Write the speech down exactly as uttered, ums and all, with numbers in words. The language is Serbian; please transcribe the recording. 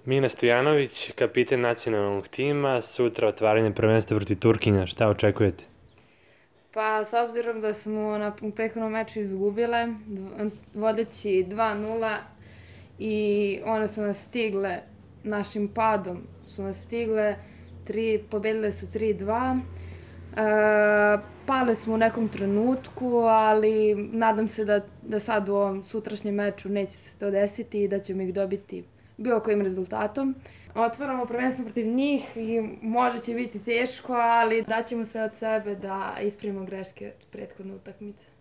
Mina Stojanović, kapiten nacionalnog tima, sutra otvaranje prvenstva protiv Turkinja. Šta očekujete? Pa, s obzirom da smo na u prethodnom meču izgubile, dv- vodeći dva nula i one su nas stigle, našim padom su nas stigle, tri, pobedile su tri dva. E, pale smo u nekom trenutku, ali nadam se da, da sad u ovom sutrašnjem meču neće se to desiti i da ćemo ih dobiti bilo kojim rezultatom. Otvaramo prvenstvo protiv njih i možda će biti teško, ali daćemo sve od sebe da ispravimo greške prethodne utakmice.